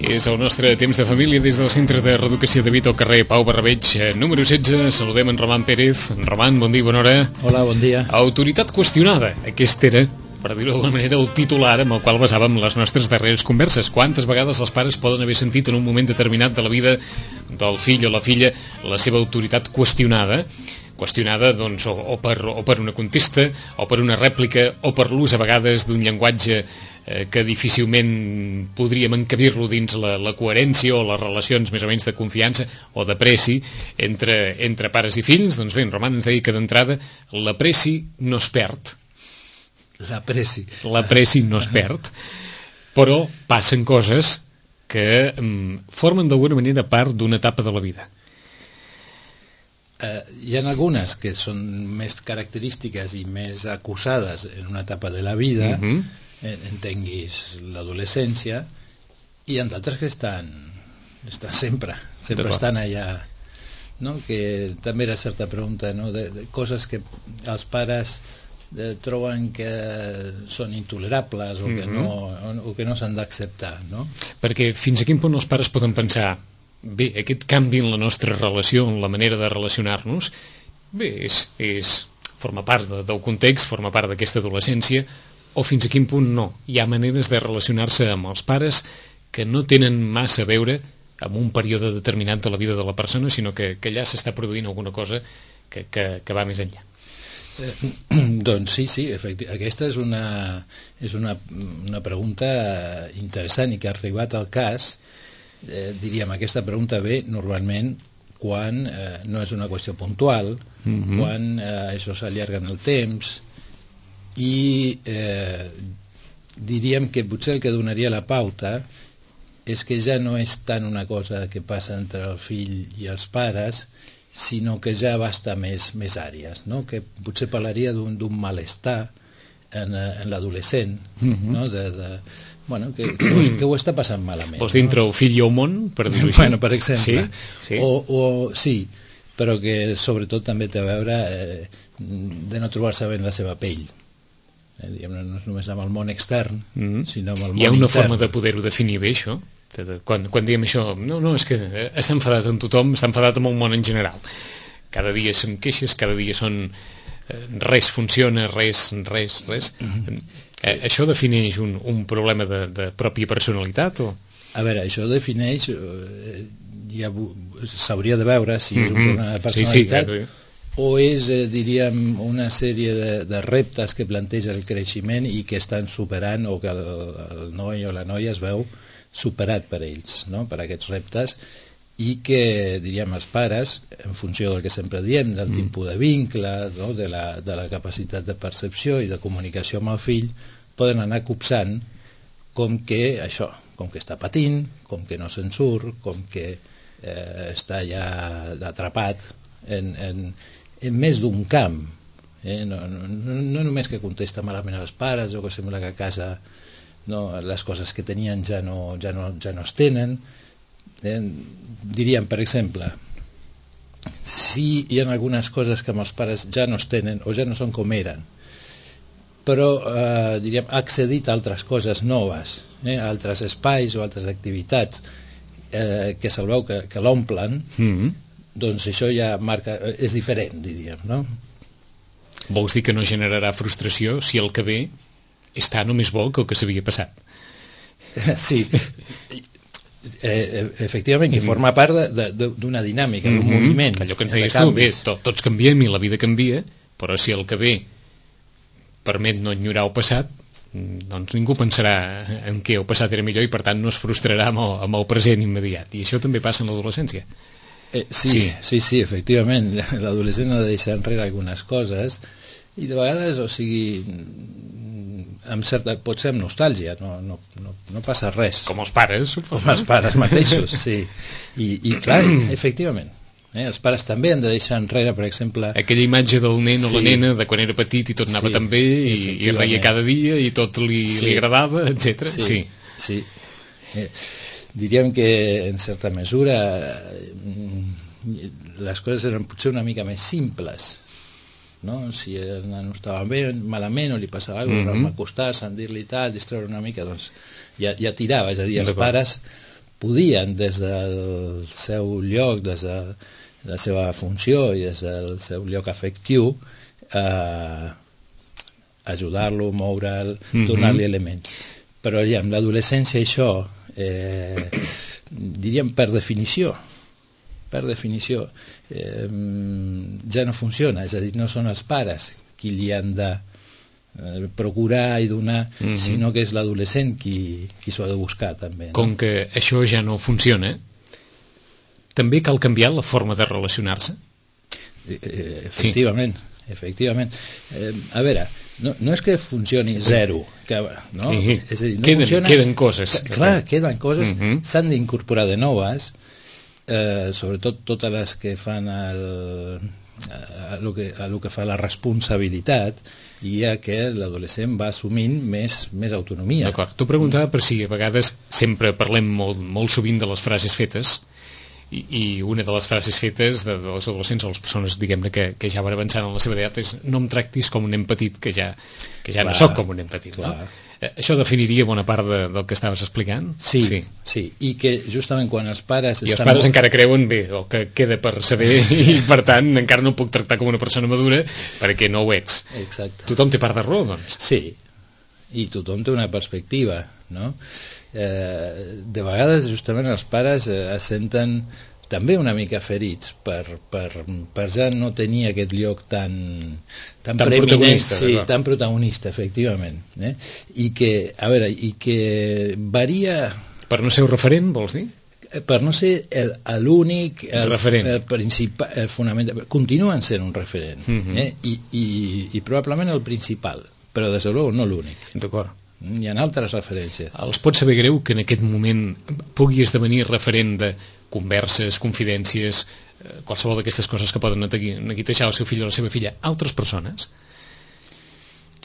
És el nostre temps de família des del Centre de Reeducació de Vito, al carrer Pau Barrabeig, número 16. Saludem en Roman Pérez. Roman, bon dia, bona hora. Hola, bon dia. Autoritat qüestionada. Aquest era, per dir-ho d'alguna manera, el titular amb el qual basàvem les nostres darreres converses. Quantes vegades els pares poden haver sentit en un moment determinat de la vida del fill o la filla la seva autoritat qüestionada, doncs, o per una contesta, o per una rèplica, o per l'ús a vegades d'un llenguatge que difícilment podríem encabir-lo dins la coherència o les relacions més o menys de confiança o d'apreci entre pares i fills. Doncs bé, en Roman ens deia que d'entrada l'apreci no es perd. L'apreci no es perd, però passen coses que formen d'alguna manera part d'una etapa de la vida. Hi ha algunes que són més característiques i més acusades en una etapa de la vida, entenguis l'adolescència, i hi ha d'altres que estan sempre estan allà, no? Que també era certa pregunta, no? de coses que els pares troben que són intolerables o que no s'han d'acceptar, no? Perquè fins a quin punt els pares poden pensar: bé, aquest canvi en la nostra relació, en la manera de relacionar-nos, bé, forma part del context, forma part d'aquesta adolescència, o fins a quin punt no? Hi ha maneres de relacionar-se amb els pares que no tenen massa a veure amb un període determinat de la vida de la persona, sinó que allà s'està produint alguna cosa que va més enllà. Doncs sí, aquesta és una pregunta interessant i que ha arribat al cas. Diríem, aquesta pregunta ve normalment quan no és una qüestió puntual, quan això s'allarga en el temps, i diríem que potser el que donaria la pauta és que ja no és tant una cosa que passa entre el fill i els pares, sinó que ja abasta més àrees, no? Que potser parlaria d'un malestar en l'adolescent, no? Que ho està passant malament. Vols dir entre el fill i el món, per dir-ho així? Bueno, per exemple. Sí. Sí, però que sobretot també té a veure de no trobar-se bé en la seva pell. No és només amb el món extern, sinó amb el món intern. Hi ha una forma de poder-ho definir bé, això? Quan diem això, no, és que està enfadat amb tothom, està enfadat amb el món en general. Cada dia són queixes, cada dia són res funciona, res. Això defineix un problema de pròpia personalitat? O? A veure, això defineix, s'hauria de veure si és un problema de personalitat, sí, o és, diríem, una sèrie de reptes que planteja el creixement i que estan superant, o que el noi o la noia es veu superat per ells, no? Per aquests reptes, i que, diríem, els pares, en funció del que sempre diem, del tipus de vincle, no? de la capacitat de percepció i de comunicació amb el fill, poden anar copsant com que està patint, com que no se'n surt, com que està ja atrapat en més d'un camp, no només que contesta malament als pares o que sembla que a casa les coses que tenien ja no es tenen. Diríem, per exemple, si hi ha algunes coses que amb els pares ja no es tenen o ja no són com eren, però diríem, ha accedit a altres coses noves, a altres espais o altres activitats que se'l veu que l'omplen, doncs això ja és diferent, diríem, no? Vols dir que no generarà frustració si el que ve està només bo que el que s'havia passat? Sí, efectivament, i forma part d'una dinàmica, d'un moviment. Allò que ens deies tu, bé, tots canviem i la vida canvia, però si el que ve permet no enyorar el passat, doncs ningú pensarà en què el passat era millor i per tant no es frustrarà amb el present immediat. I això també passa en l'adolescència. Sí, efectivament, l'adolescent ha de deixar enrere algunes coses i de vegades, o sigui, pot ser amb nostàlgia, no passa res. Com els pares. Com els pares mateixos, sí. I clar, efectivament, els pares també han de deixar enrere, per exemple, aquella imatge del nen o la nena de quan era petit i tot anava tan bé i reia cada dia i tot li agradava, etc. Sí. Diríem que en certa mesura les coses eren potser una mica més simples, no? Si el nano estava bé, malament o li passava alguna cosa, acostar-se, dir-li tal, distreure una mica, doncs ja tirava, és a dir, els pares podien, des del seu lloc, des de la seva funció i des del seu lloc afectiu, ajudar-lo, moure'l, donar-li elements. Però ja amb l'adolescència això, diríem per definició, ja no funciona, és a dir, no són els pares qui li han de procurar i donar, sinó que és l'adolescent qui s'ho ha de buscar també, no? Com que això ja no funciona, també cal canviar la forma de relacionar-se? Efectivament. A veure, no és que funcioni zero, no? És a dir, no queden coses. Clar, queden coses, s'han d'incorporar de noves, sobretot totes les que fan a lo que fa la responsabilitat, i ja que l'adolescent va assumint més autonomia. D'acord, t'ho preguntava per si a vegades sempre parlem molt sovint de les frases fetes, i una de les frases fetes dels adolescents o les persones, diguem-ne, que ja van avançant en la seva edat és: no em tractis com un nen petit, que ja no soc com un nen petit, no? Això definiria bona part del que estaves explicant? Sí, i que justament quan els pares... I els pares encara creuen, bé, el que queda per saber, i per tant encara no puc tractar com una persona madura perquè no ho ets. Exacte. Tothom té part de raó, doncs. Sí, i tothom té una perspectiva, no? De vegades justament els pares es senten també una mica ferits per ja no tenir aquest lloc tan protagonista, tan protagonista, efectivament, i que varia... Per no ser un referent, vols dir? Per no ser l'únic, el principal, el fonamental. Continuen sent un referent, i probablement el principal, però des de no l'únic. D'acord. Hi ha altres referències. Els pot saber greu que en aquest moment pugui esdevenir referent de converses, confidències, qualsevol d'aquestes coses que poden neguitejar el seu fill o la seva filla, altres persones,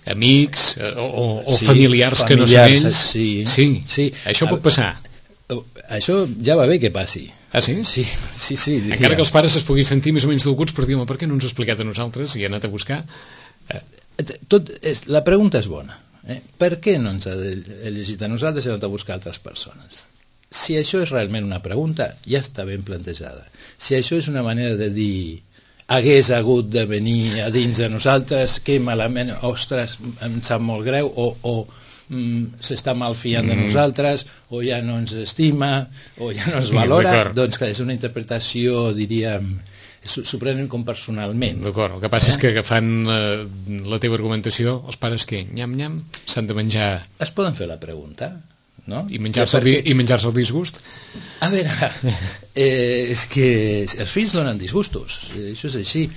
amics o familiars que no són ells? Sí. Això pot passar. Això ja va bé que passi. Ah, sí? Sí. Encara que els pares es puguin sentir més o menys dolguts per dir: home, per què no ens ho ha explicat a nosaltres i ha anat a buscar? La pregunta és bona. Per què no ens ha llegit a nosaltres i ha anat a buscar altres persones? Si això és realment una pregunta, ja està ben plantejada. Si això és una manera de dir: hagués hagut de venir a dins de nosaltres, que malament, ostres, em sap molt greu, o s'està malfiant de nosaltres, o ja no ens estima, o ja no ens valora, doncs que és una interpretació, diríem, s'ho prenen com personalment. D'acord, el que passa és que agafant la teva argumentació, els pares que nyam-nyam s'han de menjar... Es poden fer la pregunta, no? I menjar-se el disgust? A veure, és que els fills donen disgustos, això és així.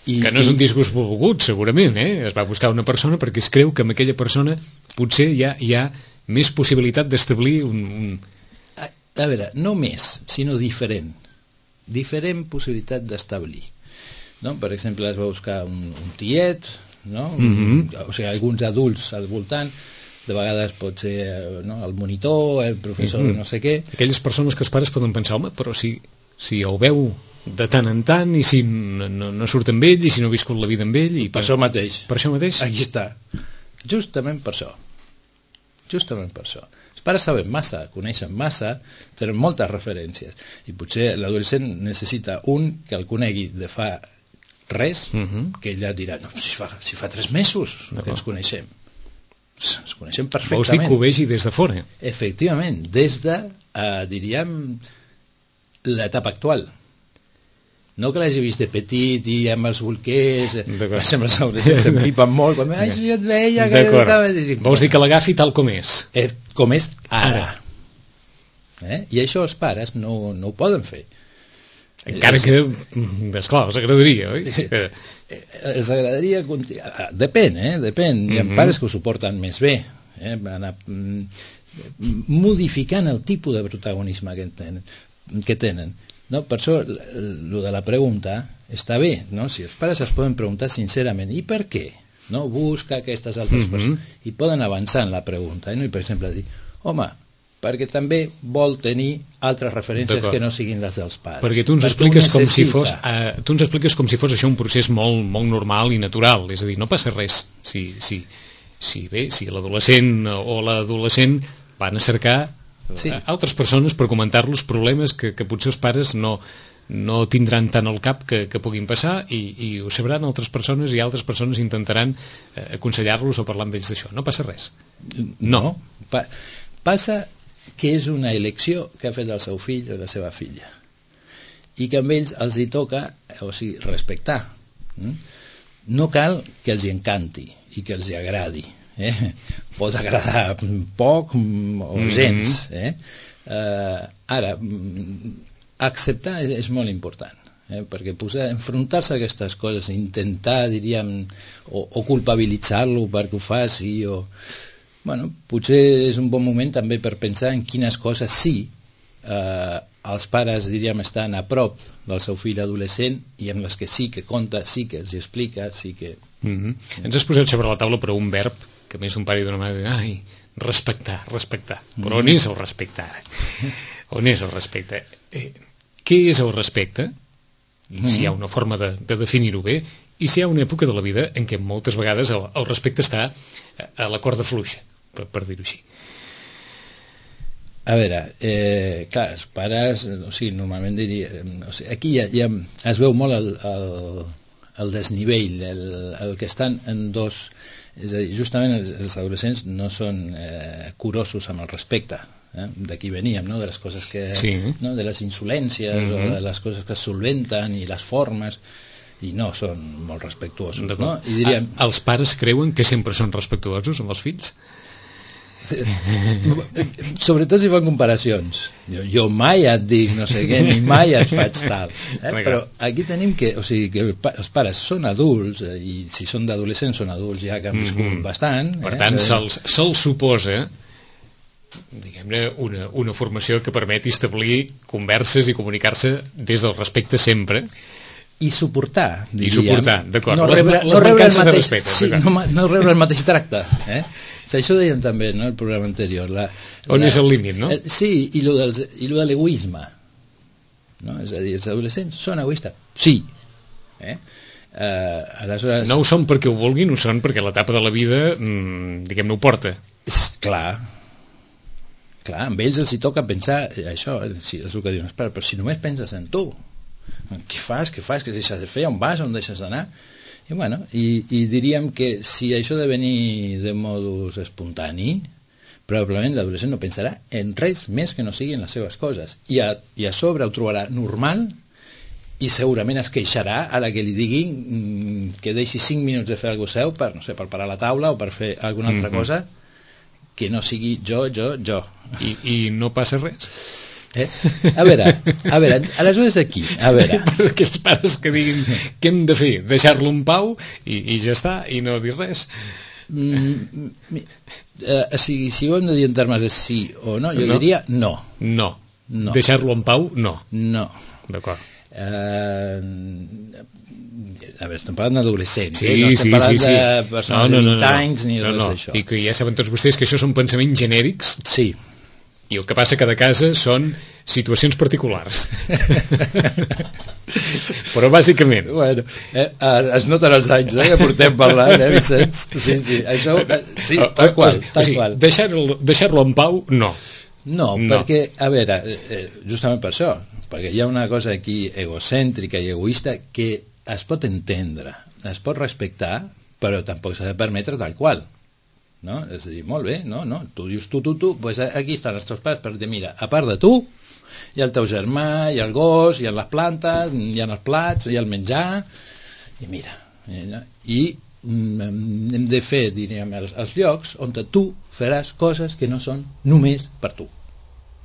Que no és un disgust volgut, segurament, es va buscar una persona perquè es creu que amb aquella persona potser hi ha més possibilitat d'establir un... A veure, no més, sinó diferent possibilitat d'establir, no? Per exemple, es va buscar un tiet, no? O sigui, alguns adults al voltant, de vegades pot ser el monitor, el professor, no sé què. Aquelles persones que els pares poden pensar: home, però si el veu de tant en tant, i si no surt amb ell, i si no ha viscut la vida amb ell, i per això mateix. Per això mateix? Aquí està. Justament per això. Els pares saben massa, coneixen massa, tenen moltes referències, i potser l'adolescent necessita un que el conegui de fa res, que ella dirà: no, si fa 3 mesos que ens coneixem. Ens coneixem perfectament. Vols dir que ho vegi des de fora? Efectivament, des de, diríem, l'etapa actual. No que l'hagi vist de petit i amb els bolquers, per exemple, els adolescents s'empipen molt, quan jo et veia que... Vols dir que l'agafi tal com és? Com és ara. I això els pares no ho poden fer. Encara que, esclar, els agradaria, oi? Els agradaria... Depèn. Hi ha pares que ho suporten més bé, anar modificant el tipus de protagonisme que tenen. No, per això, el de la pregunta està bé, no? Si els pares es poden preguntar sincerament: i per què? No? Busca aquestes altres persones. I poden avançar en la pregunta. I, per exemple, dir: home, perquè també vol tenir altres referències que no siguin les dels pares. Perquè tu ens expliques com si fos això un procés molt normal i natural. És a dir, no passa res. Si l'adolescent o l'adolescent van a cercar altres persones per comentar-los problemes que potser els pares no tindran tant al cap que puguin passar i ho sabran altres persones i altres persones intentaran aconsellar-los o parlar amb ells d'això. No passa res. No. Passa que és una elecció que ha fet el seu fill o la seva filla i que amb ells els hi toca, o sigui, respectar. No cal que els hi encanti i que els hi agradi. Pot agradar poc o gens. Ara, acceptar és molt important, perquè enfrontar-se a aquestes coses, intentar, diríem, o culpabilitzar-lo perquè ho faci, potser és un bon moment també per pensar en quines coses sí els pares, diríem, estan a prop del seu fill adolescent i en les que sí que compta, sí que els explica, sí que... Ens has posat sobre la taula però un verb que més d'un pare i d'una mare respectar. Però on és el respecte ara? On és el respecte? Què és el respecte? I si hi ha una forma de definir-ho bé, i si hi ha una època de la vida en què moltes vegades el respecte està a la corda fluixa, per dir-ho així. A veure, clar, els pares, normalment diria... aquí ja es veu molt el desnivell, el que estan en dos... És a dir, justament els adolescents no són curosos amb el respecte. D'aquí veníem, de les coses que... Sí. De les insolències o de les coses que es solventen i les formes, i no són molt respectuosos. No? I diríem... Els pares creuen que sempre són respectuosos amb els fills? Sobretot si fan comparacions. Jo mai et dic no sé què, ni mai et faig tal. Però aquí tenim que, que els pares són adults, i si són d'adolescents són adults ja que han viscut bastant. Per tant, se'ls suposa, diguem-ne, una formació que permeti establir converses i comunicar-se des del respecte sempre. I suportar, diríem. I suportar, d'acord. No rebre el mateix tracte. Això ho dèiem també, el programa anterior. On és el límit, no? Sí, i lo de l'egoisme. És a dir, els adolescents són egoistes? Sí. Aleshores... No ho són perquè ho vulguin, ho són perquè l'etapa de la vida, diguem-ne, ho porta. Clar, amb ells els hi toca pensar això, és el que diuen els pares, però si només penses en tu, què fas, què deixes de fer, on vas, on deixes d'anar, i diríem que si això de venir de modus espontani, probablement l'adolescent no pensarà en res més que no siguin les seves coses, i a sobre ho trobarà normal i segurament es queixarà a la que li diguin que deixi 5 minuts de fer alguna seu per parar la taula o per fer alguna altra cosa que no sigui jo. I no passa res? A veure, aleshores aquí, a veure... Per aquells pares que diguin què hem de fer, deixar-lo en pau i ja està, i no dir res. Si ho hem de dir en termes de sí o no, jo diria no. No. Deixar-lo en pau, no. No. D'acord. A veure, estem parlant d'adolescents, no estem parlant de persones de 20 anys ni res d'això. I que ja saben tots vostès que això són pensaments genèrics. Sí. I el que passa a cada casa són situacions particulars. Però bàsicament... Es noten els anys que portem parlant, Vicenç? Sí, això... Sí, tal qual. Deixar-lo en pau, no. No, perquè, a veure, justament per això, perquè hi ha una cosa aquí egocèntrica i egoista que es pot entendre, es pot respectar, però tampoc s'ha de permetre tal qual. No? És a dir, molt bé, tu dius tu, doncs aquí estan els teus pares per dir, mira, a part de tu hi ha el teu germà, hi ha el gos, hi ha les plantes, hi ha els plats, hi ha el menjar, i mira, hem de fer, diríem, els llocs on tu faràs coses que no són només per tu,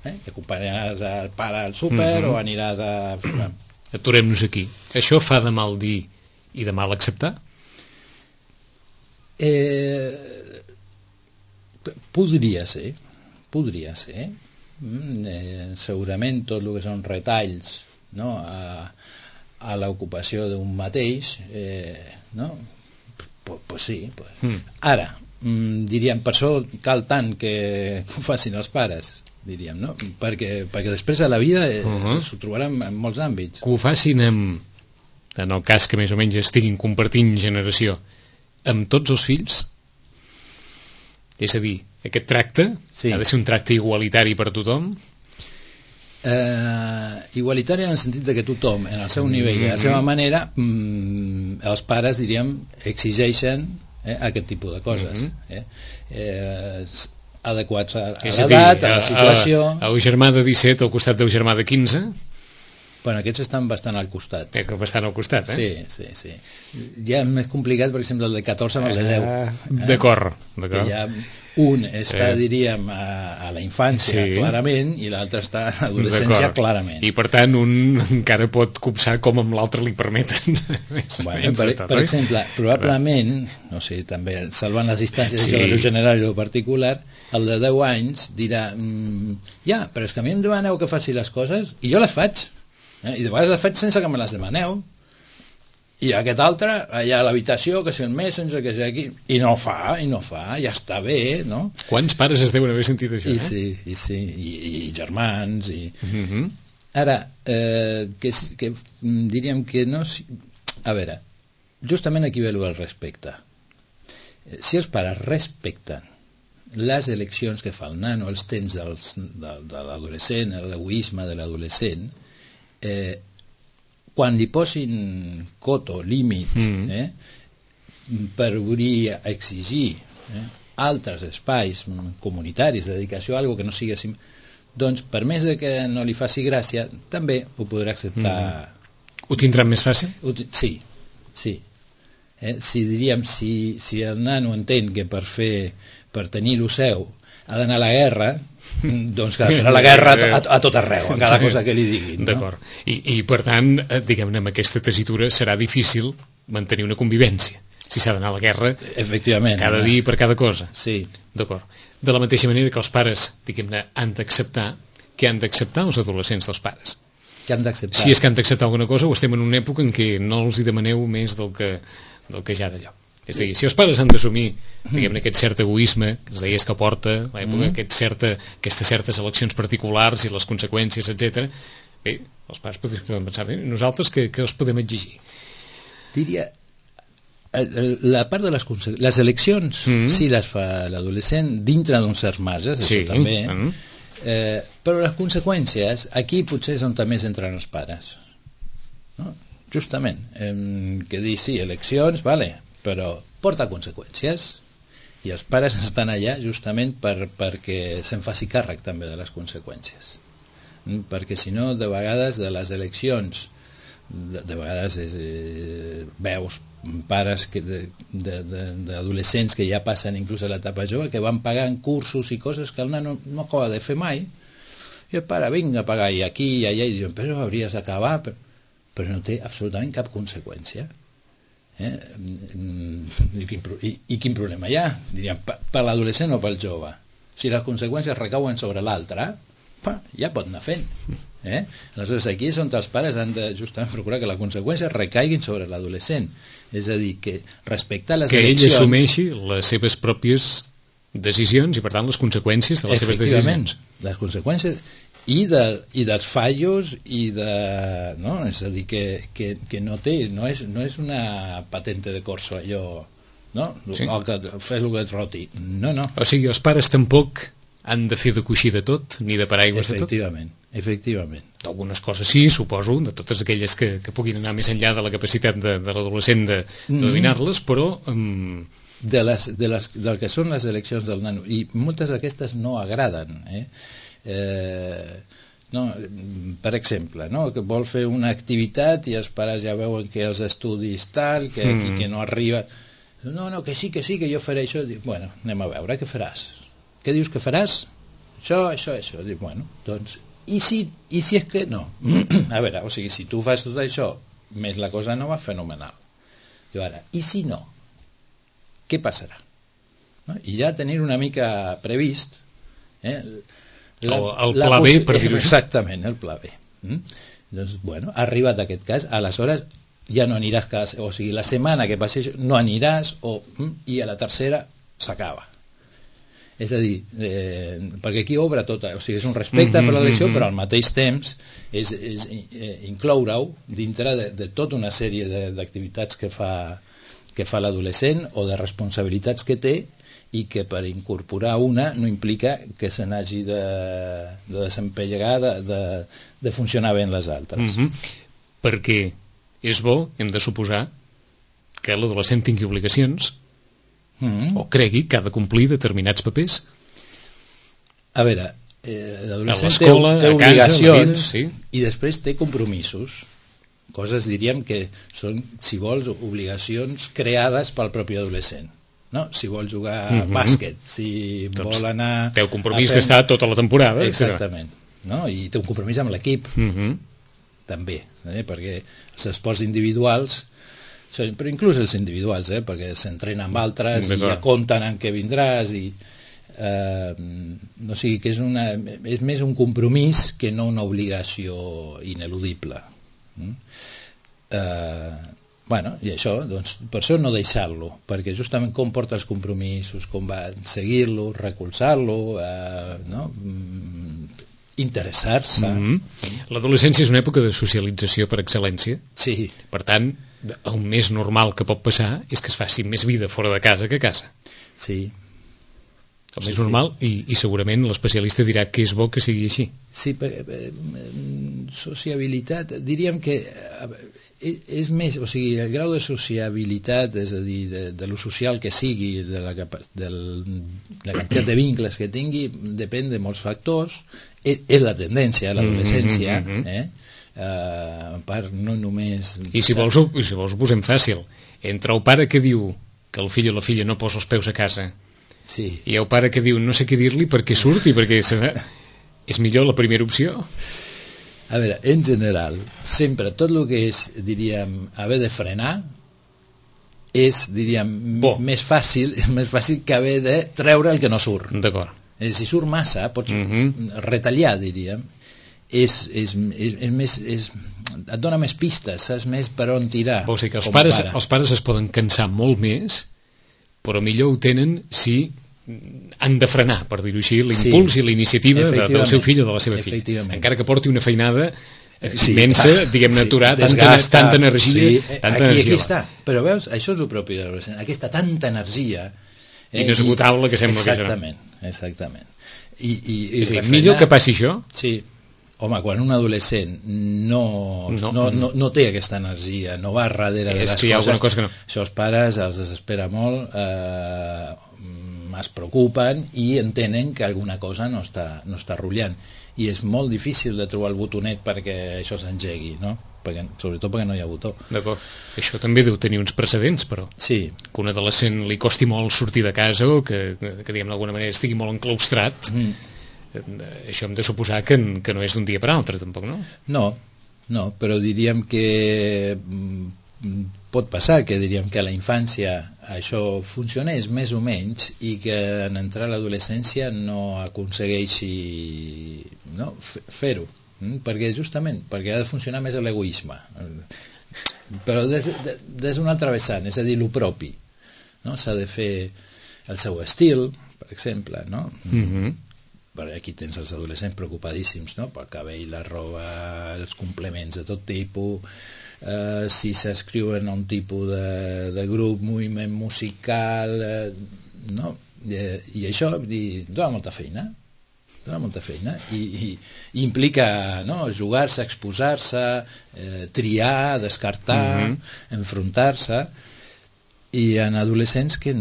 que acompanyaràs el pare al súper o aniràs a... Aturem-nos aquí. Això fa de mal dir i de mal acceptar? Podria ser. Segurament tot el que són retalls a l'ocupació d'un mateix, pues sí. Ara, diríem, per això cal tant que ho facin els pares, diríem, no? Perquè després a la vida s'ho trobaran en molts àmbits. Que ho facin en el cas que més o menys estiguin compartint generació, amb tots els fills? És a dir, aquest tracte ha de ser un tracte igualitari per tothom? Igualitari en el sentit de que tothom, en el seu nivell i a la seva manera, els pares, diríem, exigeixen aquest tipus de coses. Adequats a l'edat, a la situació. El germà de 17 al costat del germà de 15? Bueno, aquests estan bastant al costat. Bastant al costat, Sí. Ja és més complicat, per exemple, el de 14 amb el de 10. D'acord. Que ja un està, diríem, a la infància, clarament, i l'altre està a l'adolescència, clarament. I, per tant, un encara pot copsar com amb l'altre li permeten. Bueno, per exemple, probablement, no sé, també salvant les distàncies de lo general i lo particular, el de 10 anys dirà però és que a mi em demaneu que faci les coses i jo les faig. I de vegades les faig sense que me les demaneu, i aquest altre allà a l'habitació, que si el Messenger, que si aquí, i no fa, ja està bé, no? Quants pares es deuen haver sentit això? I germans ara, que diríem que no... A veure, justament aquí ve el respecte. Si els pares respecten les eleccions que fa el nano, els temps de l'adolescent, l'egoisme de l'adolescent, quan li posin coto, límits, per obrir a exigir altres espais comunitaris de dedicació a alguna que no sigui així, doncs per més que no li faci gràcia també ho podrà acceptar. Ho tindran més fàcil? Sí. Si el nano entén que per tenir lo seu ha d'anar a la guerra, doncs que farà la guerra a tot arreu, a cada cosa que li diguin. D'acord. I per tant, diguem-ne, amb aquesta tessitura serà difícil mantenir una convivència, si s'ha d'anar a la guerra cada dia per cada cosa. Sí. D'acord. De la mateixa manera que els pares, diguem-ne, han d'acceptar, què han d'acceptar els adolescents dels pares? Què han d'acceptar? Si és que han d'acceptar alguna cosa, o estem en una època en què no els hi demaneu més del que ja d'allò. És a dir, si els pares han d'assumir, diguem-ne, aquest cert egoisme que es deies que porta l'època, aquestes certes eleccions particulars i les conseqüències, etc. Bé, els pares podem pensar, nosaltres què els podem exigir? Diria, la part de les eleccions sí les fa l'adolescent dintre d'uns certs marges, això també, però les conseqüències aquí potser és on també entren els pares, no? Justament, que dir sí, eleccions, vale, però porta conseqüències i els pares estan allà justament perquè se'n faci càrrec també de les conseqüències, perquè si no de vegades de les eleccions de vegades veus pares d'adolescents que ja passen inclús a l'etapa jove que van pagant cursos i coses que el nano no acaba de fer mai i el pare vinga a pagar i aquí i allà i diuen però hauries d'acabar però no té absolutament cap conseqüència. I quin problema hi ha? Diríem, per l'adolescent o pel jove? Si les conseqüències recauen sobre l'altre, ja pot anar fent. Aleshores, aquí és on els pares han de justament procurar que les conseqüències recaiguin sobre l'adolescent. És a dir, que respectar les eleccions... Que ell assumeixi les seves pròpies decisions i, per tant, les conseqüències de les seves decisions. Les conseqüències... I dels fallos no? És a dir, que no té no és una patente de corso allò, no? Fes el que et roti, no. O sigui, els pares tampoc han de fer de coixí de tot ni de paraigües de tot? Efectivament. D'algunes coses sí, suposo, de totes aquelles que puguin anar més enllà de la capacitat de l'adolescent de dominar-les, però del que són les eleccions del nano, i moltes d'aquestes no agraden, no, per exemple, no? Que vol fer una activitat i els pares ja veuen que els estudis tal, que aquí que no arriba, no, que sí, que jo faré això. Dic, bueno, anem a veure, què faràs? Què dius que faràs? Això. Dic, bueno, doncs, i si és que no? A veure, o sigui, si tu fas tot això, més la cosa no va fenomenal. I ara, i si no? Què passarà? No? I ja tenir una mica previst, el pla B, per dir-ho així. Exactament, el pla B. Doncs, bueno, ha arribat aquest cas, aleshores ja no aniràs o sigui, la setmana que passi no aniràs i a la tercera s'acaba. És a dir, perquè aquí obre tot, o sigui, és un respecte per l'elecció, però al mateix temps és incloure-ho dintre de tota una sèrie d'activitats que fa l'adolescent o de responsabilitats que té i que per incorporar una no implica que se n'hagi de desempellegar, de funcionar bé en les altres. Perquè és bo, hem de suposar, que l'adolescent tingui obligacions o cregui que ha de complir determinats papers. A veure, l'adolescent té a obligacions, casa, sí. I després té compromisos, coses, diríem, que són, si vols, obligacions creades pel propi adolescent. No? Si vol jugar a bàsquet, si vol anar... Té un compromís d'estar tota la temporada. Exactament. No? I té un compromís amb l'equip, també, perquè els esports individuals, però inclús els individuals, perquè s'entrenen amb altres i ja compten en què vindràs i... o sigui que és més un compromís que no una obligació ineludible. I això, doncs, per això no deixar-lo, perquè justament com porta els compromisos, com va seguir-lo, recolzar-lo, interessar-se. L'adolescència és una època de socialització per excel·lència. Sí. Per tant, el més normal que pot passar és que es faci més vida fora de casa que a casa. Sí. El més normal, i segurament l'especialista dirà que és bo que sigui així. Sí, sociabilitat, diríem que és més, o sigui, el grau de sociabilitat, és a dir, de lo social que sigui, de la quantitat de vincles que tingui, depèn de molts factors, és la tendència a l'adolescència, a part no només... I si vols ho posem fàcil, entre el pare que diu que el fill o la filla no posa els peus a casa, sí, i el pare que diu no sé què dir-li perquè surti, perquè és millor la primera opció. A veure, en general, sempre tot el que és, diríem, haver de frenar és, diríem, més fàcil que haver de treure el que no surt. D'acord. Si surt massa, pots retallar, diríem. És més... et dona més pistes, saps més per on tirar. Vols dir que els pares es poden cansar molt més, però millor ho tenen si han de frenar, per dir-ho així, l'impuls i la iniciativa del seu fill o de la seva filla. Encara que porti una feinada immensa, diguem-ne, aturar tanta energia. Aquí està. Però veus, això és el propi de l'adolescent, aquesta tanta energia inesgotable que sembla que serà. Exactament. Millor que passi això? Sí. Home, quan un adolescent no té aquesta energia, no va darrere de les coses, això els pares els desespera molt, es preocupen i entenen que alguna cosa no està rotllant. I és molt difícil de trobar el botonet perquè això s'engegui, no? Sobretot perquè no hi ha botó. D'acord. Això també deu tenir uns precedents, però. Sí. Que un adolescent li costi molt sortir de casa o que diguem d'alguna manera estigui molt enclaustrat. Això hem de suposar que no és d'un dia per altre, tampoc, no? No, però diríem que pot passar que diríem que a la infància això funcionés més o menys i que en entrar a l'adolescència no aconsegueixi fer-ho, perquè ha de funcionar més l'egoisme, però des d'un altre vessant, és a dir, lo propi, no? S'ha de fer el seu estil, per exemple, no? Aquí tens els adolescents preocupadíssims, no? Pel cabell, la roba, els complements de tot tipus, si s'escriuen a un tipus de grup, moviment musical, no? I això dona molta feina i implica jugar-se, exposar-se, triar, descartar, enfrontar-se, i en adolescents que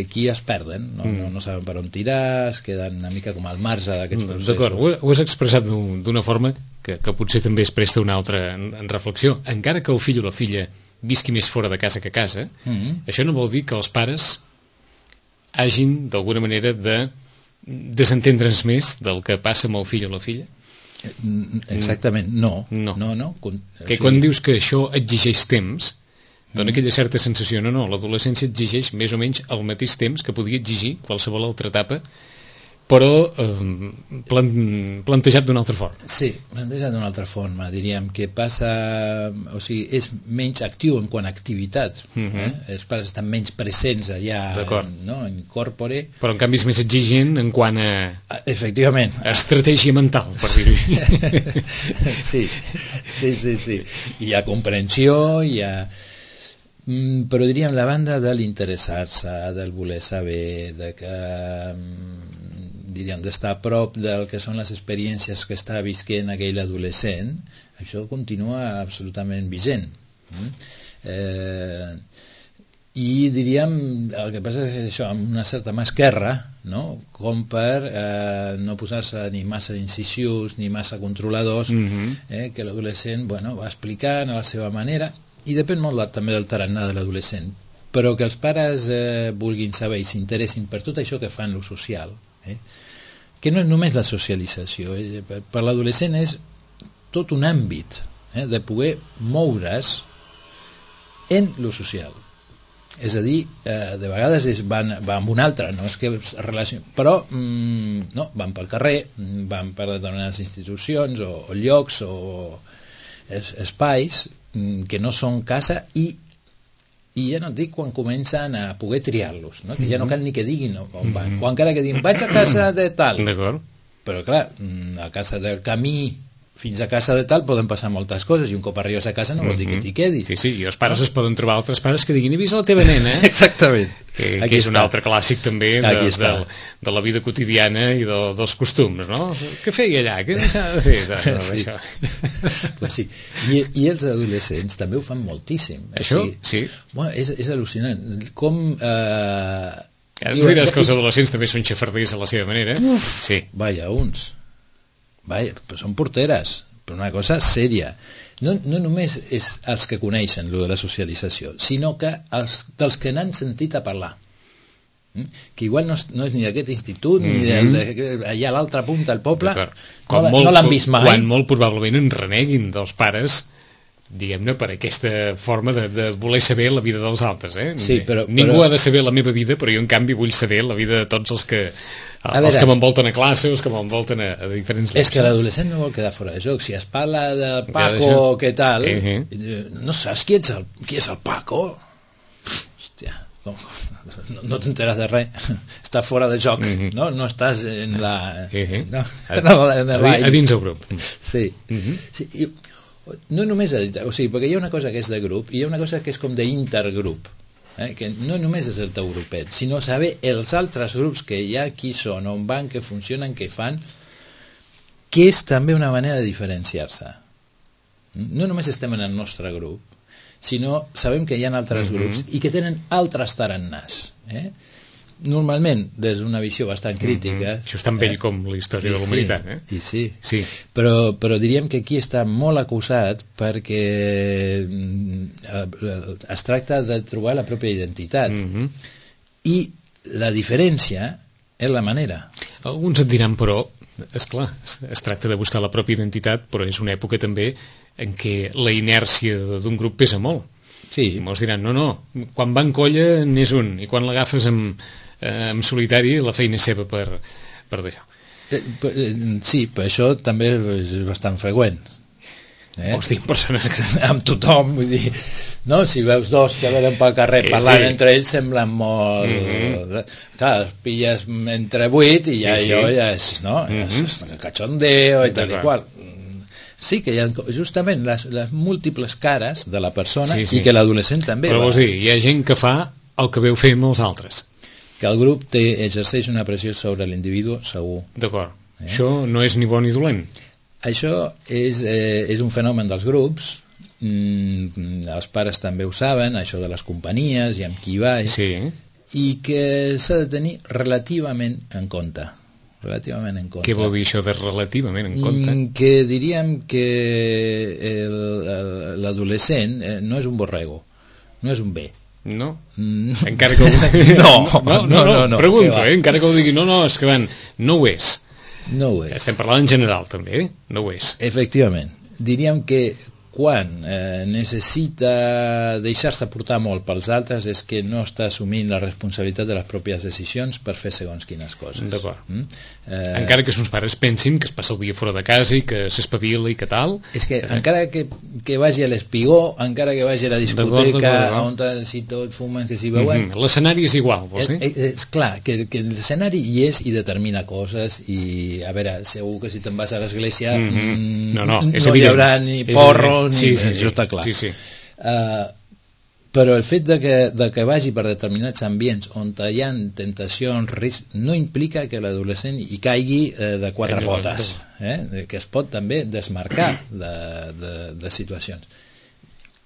aquí es perden, no saben per on tirar, es queden una mica com al marge d'aquests processos. D'acord, ho has expressat d'una forma que potser també es presta una altra reflexió. Encara que el fill o la filla visqui més fora de casa que a casa, això no vol dir que els pares hagin d'alguna manera de desentendre's més del que passa amb el fill o la filla? Exactament, no. Que quan dius que això exigeix temps, dona aquella certa sensació, l'adolescència exigeix més o menys el mateix temps que podia exigir qualsevol altra etapa, però plantejat d'una altra forma. Sí, plantejat d'una altra forma, diríem que passa, o sigui, és menys actiu en quant a activitat, els pares estan menys presents allà, en corpore. Però en canvi és més exigent en quant a... Efectivament. Estratègia mental, per dir-ho així. Sí. Hi ha comprensió, hi ha... Però diríem la banda de l'interessar-se, del voler saber, de que diríem d'estar a prop del que són les experiències que està visquent aquell adolescent, això continua absolutament vigent. I diríem, el que passa és això, amb una certa mà esquerra, no? Com per no posar-se ni massa incisius ni massa controladors, que l'adolescent va explicant a la seva manera, i depèn molt també del tarannà de l'adolescent, però que els pares vulguin saber i s'interessin per tot això que fan lo social, que no és només la socialització, per l'adolescent és tot un àmbit de poder moure's en lo social. És a dir, de vegades van amb un altre, no és que es relacioni, però no, van pel carrer, van per determinades institucions o llocs o espais que no són casa, i ja no et dic quan comencen a poder triar-los, no? Que ja no cal ni que diguin on van, o encara que diguin vaig a casa de tal, però clar, a casa del camí fins a casa de tal poden passar moltes coses, i un cop arribes a casa no vol dir que t'hi quedis. Sí, i els pares es poden trobar altres pares que diguin he vist la teva nena, Exactament. Que és un altre clàssic també de la vida quotidiana i dels costums, no? Què feia allà? Què deixava de fer? Sí. Pues sí. I els adolescents també ho fan moltíssim. Això? Sí. Bueno, és al·lucinant. Com... Ara ens diràs que els adolescents també són xafarders a la seva manera. Sí. Vaja, uns. Vaja, però són porteres, però una cosa sèria. No només és els que coneixen lo de la socialització, sinó que dels que n'han sentit a parlar, que igual no és ni d'aquest institut ni allà a l'altra punta del poble, no l'han vist mai, quan molt probablement en reneguin dels pares, diguem-ne, per aquesta forma de voler saber la vida dels altres, Sí, ningú ha de saber la meva vida, però jo en canvi vull saber la vida de tots els que m'envolten a classe, els que m'envolten a diferents llocs. És que l'adolescent no vol quedar fora de joc. Si es parla de Paco, què tal, no saps qui és el Paco? Hòstia, no t'enteres de res, està fora de joc, no estàs en la... a dins el grup. Sí. No només, o sigui, perquè hi ha una cosa que és de grup i hi ha una cosa que és com d'intergrup, que no només és el teu grupet, sinó saber els altres grups que hi ha, qui són, on van, què funcionen, què fan, que és també una manera de diferenciar-se. No només estem en el nostre grup, sinó sabem que hi ha altres grups i que tenen altres tarannàs. Normalment, des d'una visió bastant crítica... Això és tan vell com la història de la humanitat. Sí. Però diríem que aquí està molt acusat perquè es tracta de trobar la pròpia identitat. I la diferència és la manera. Alguns et diran, però, esclar, es tracta de buscar la pròpia identitat, però és una època també en què la inèrcia d'un grup pesa molt. Sí. I molts diran, no, quan va en colla n'és un, i quan l'agafes en solitari la feina és seva per deixar. Sí, però això també és bastant freqüent. Hosti, persones que... amb tothom, vull dir, no? Si veus dos que venen pel carrer parlant entre ells semblen molt... Clar, els pilles entre 8 i ja és, no? És cachondeo i tal i qual. Sí, que hi ha justament les múltiples cares de la persona i que l'adolescent també. Però vols dir, hi ha gent que fa el que veu fer amb els altres. Que el grup exerceix una pressió sobre l'individu, segur. D'acord. Això no és ni bo ni dolent. Això és un fenomen dels grups, els pares també ho saben, això de les companyies i amb qui vas, i que s'ha de tenir relativament en compte. Què vol dir això de relativament en compte? Que diríem que l'adolescent no és un borrego, no és un bé. No? Encara que ho... No, pregunto, encara que ho digui, no, és que no ho és. No ho és. Estem parlant en general, també, no ho és. Efectivament. Diríem que quan necessita deixar-se portar molt pels altres és que no està assumint la responsabilitat de les pròpies decisions per fer segons quines coses. D'acord. Encara que els pares pensin que es passa el dia fora de casa i que s'espavila i que tal... És que encara que vagi a l'espigó, encara que vagi a la discoteca, on si tot fumen, que s'hi veuen... L'escenari és igual, vols dir? És clar, que l'escenari hi és i determina coses i, a veure, segur que si te'n vas a l'església no hi haurà ni porros, això està clar. Però el fet de que vagi per determinats ambients on hi ha tentacions, riscs, no implica que l'adolescent hi caigui de quatre potes, que es pot també desmarcar de situacions.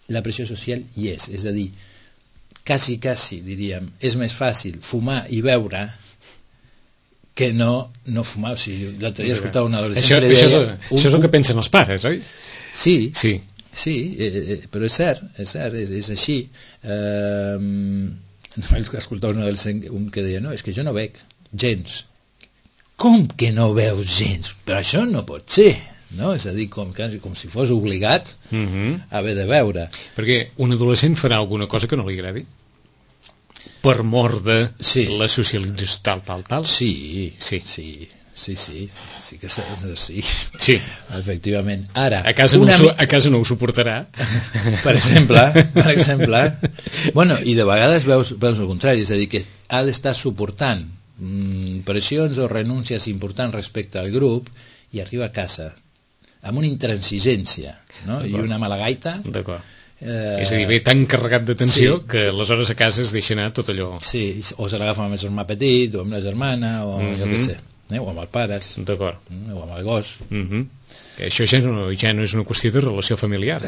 La pressió social hi és a dir, quasi, diríem, és més fàcil fumar i beure que no fumar. O sigui, l'altre dia escoltava un adolescent... Això és el que pensen els pares, oi? Sí, però és cert, és així. Escoltava un adolescent que deia, no, és que jo no veig gens. Com que no veus gens? Però això no pot ser, no? És a dir, com si fos obligat a haver de veure. Perquè un adolescent farà alguna cosa que no li agradi? Per mor de la socialització tal. Sí que sí, efectivament. Ara, a casa no ho suportarà. Per exemple. Bueno, i de vegades veus el contrari, és a dir, que ha d'estar suportant pressions o renúncies importants respecte al grup i arriba a casa amb una intransigència, no? I una mala gaita. D'acord. És a dir, ve tan carregat d'atenció que aleshores a casa es deixa anar tot allò. Sí, o se l'agafa amb el germà petit, o amb la germana, o jo què sé, o amb els pares. D'acord. O amb el gos. Que això ja no és una qüestió de relació familiar.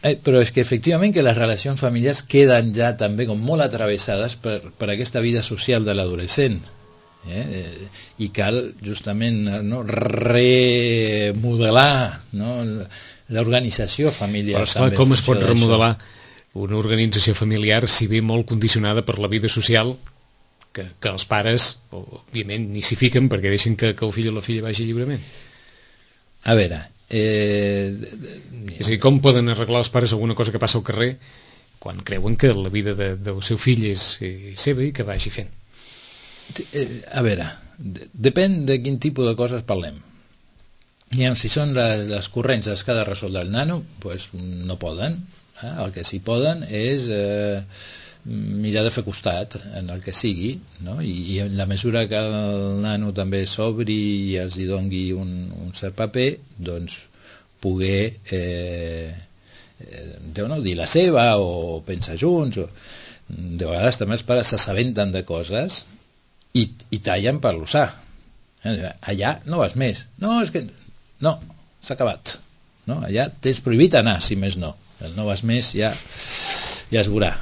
Però és que efectivament que les relacions familiars queden ja també com molt atravessades per aquesta vida social de l'adolescent. I cal justament remodelar, l'organització familiar. Però esclar, com es pot remodelar una organització familiar si ve molt condicionada per la vida social que els pares, òbviament, ni s'hi fiquen perquè deixen que el fill o la filla vagi lliurement? A veure... És a dir, com poden arreglar els pares alguna cosa que passa al carrer quan creuen que la vida del seu fill és seva i que vagi fent? A veure, depèn de quin tipus de coses parlem. Si són les corrents que ha de resoldre el nano, doncs no poden. El que sí poden és mirar de fer costat en el que sigui, no? I en la mesura que el nano també s'obri i els hi doni un cert paper, doncs poder dir la seva o pensar junts. De vegades també els pares s'assabenten de coses i tallen per l'usar. Allà no vas més. No, és que... No, s'ha acabat. Allà tens prohibit anar, si més no. El no vas més ja es veurà,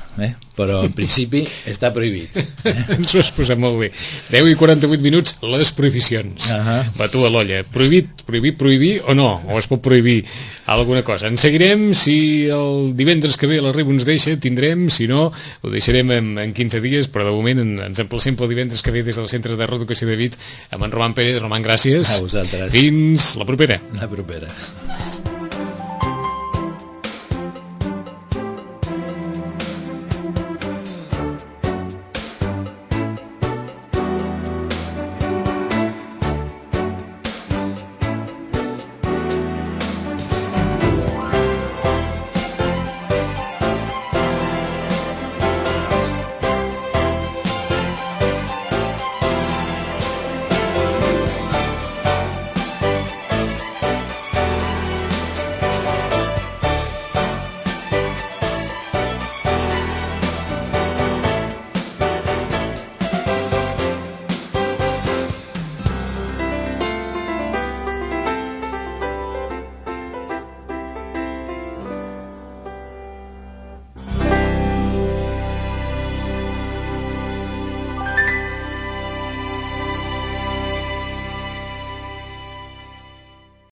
però en principi està prohibit. Ens ho has posat molt bé. 10:48, les prohibicions. Batu a l'olla. Prohibir o no? O es pot prohibir alguna cosa? En seguirem, si el divendres que ve la Riba ens deixa, tindrem, si no, ho deixarem en 15 dies, però de moment ens emplacem pel divendres que ve des del Centre de Reeducació de Vic amb en Roman Pérez. Roman, gràcies. A vosaltres. Fins la propera. La propera.